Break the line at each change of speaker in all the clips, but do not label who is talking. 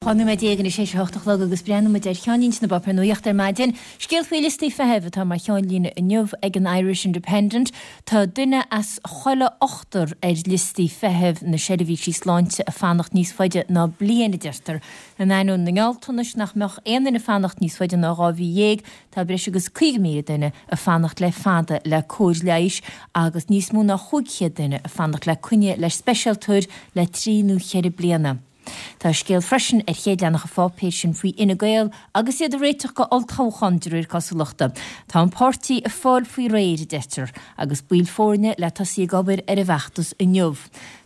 12 nóiméad anois théis a hocht a chlog agus breathnóidh muid ar cheannlínte na bpáipéar nuachta ar maidin. Scéal faoi liostaí feithimh atá mar cheannlíne inniu ag an Irish Independent. Tá duine as chuile ochtar ar liostaí feithimh na seirbhísí sláinte ag fanacht níos faide ná bliain, a deirtear. In ainneoin na ngealltanais nach mbeadh aon duine ag fanacht níos faide ná 12 mhí, tá breis agus 50,000 duine ag fanacht le fada le cóir leighis agus níos mó ná 500 duine ag fanacht le coinne le speisialtóir le trí nó cheithre bliana. Tá scéal freisin ar chéad leathanach an pháipéir sin faoi Fhine Gael agus iad ag réiteach go olltoghchán de réir cosúlachta. Tá an páirtí ag fáil faoi réir, a deirtear, agus baill foirne le tosaí ag obair ar an bhfeachtas inniu.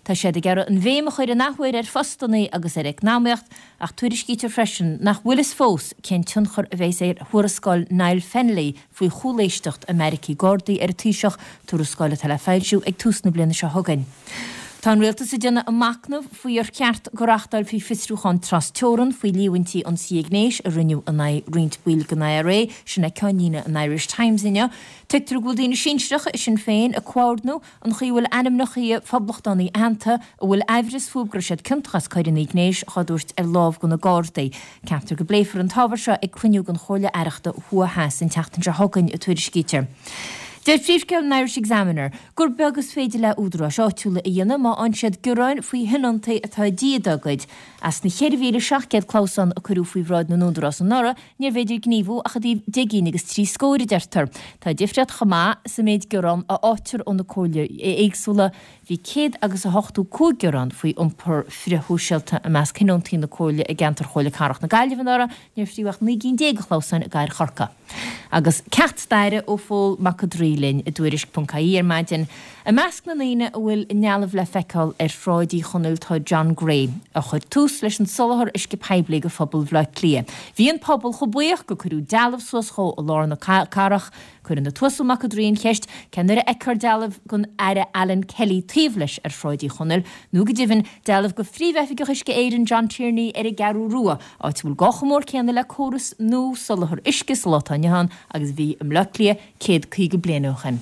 Tá siad ag iarraidh an bhéim a chur an athuair ar phostanna agus ar eacnamaíocht ach tuairiscítear freisin nach bhfuil fhios fós cén tionchar a bheas ar thuarascáil Niall Fennelly faoi chúléisteacht i mbeairicí Gardaí ar an Taoiseach, tuarascáil atá le foilsiú ag tús na bliana seo chugainn. Tá an Rialtas ag déanamh a machnamh faoi ar cheart go reáchtálfaí fiosrúchán tras-teorann faoi líomhaintí ionsaithe gnéis a rinneadh in aghaidh roinnt baill den IRA, sin é ceannlíne an Irish Times inniu. Tuigtear go bhfuil daoine sinsearacha i Sinn Féin ag comhordnú an chaoi a bhfuil ainmneacha poblachtánaigh aitheanta a bhfuil aimhreas fúthu go raibh siad ciontach as coireanna gnéis dhá dtabhairt ar lámh do na Gardaí. Ceaptar go bpléifear an t-ábhar seo ag cruinniú den Chomhairle Aireachta Thuaidh Theas an tseachtain seo chugainn, a tuairiscítear. Deir príomhscéal an Irish Examiner gur beag is féidir le údaráis áitiúla a dhéanamh má fhaigheann siad gearáin faoi thionóntaí atá ag díth dá gcuid. As na 4,700 clamhsán a cuireadh faoi bhráid na n-údarás anuraidh, níorbh fhéidir gníomhú ach i dtaobh 10 gcinn agus 3 scór, a deirtear. Tá difríocht chomh maith sa méid gearán a fhaightear ó na comhairlí éagsúla. Bhí céad agus a 85 gearán faoi iompar frithshóisialta i measc thionóntaí na comhairle i gceantar Chomhairle Cathrach na Gaillimhe anuraidh, níor fríodh ach 19 gcinn de chlamhsáin i gcathair Chorcaí. Agus ceacht staire ó Phól Mac an Draoi linn i dTuairisc.ie ar maidin. I measc na ndaoine a bhfuil a ndealbh le feiceáil ar Shráid Uí Chonaill tá John Gray, a chuir tús leis an soláthar uisce poiblí go phobal Bhaile Átha Cliath. Bhí an pobal chomh buíoch go cuireadh dealbh suas dhó i lár na cathrach. Cuireann an tUasal Mac an Draoi an cheist, cén uair a fheicfear dealbh den Aire Alan Kelly taobh leis ar Shráid Uí Chonaill, nó go deimhin, dealbh de Phríomh-Oifigeach Uisce Éireann John Tierney ar an gCeathrú Rua, áit a bhfuil gá chomh mór céanna le córas nua soláthair uisce sa lá atá inniu ann agus a bhí i mBleá Cliath 150 bliain ó shin.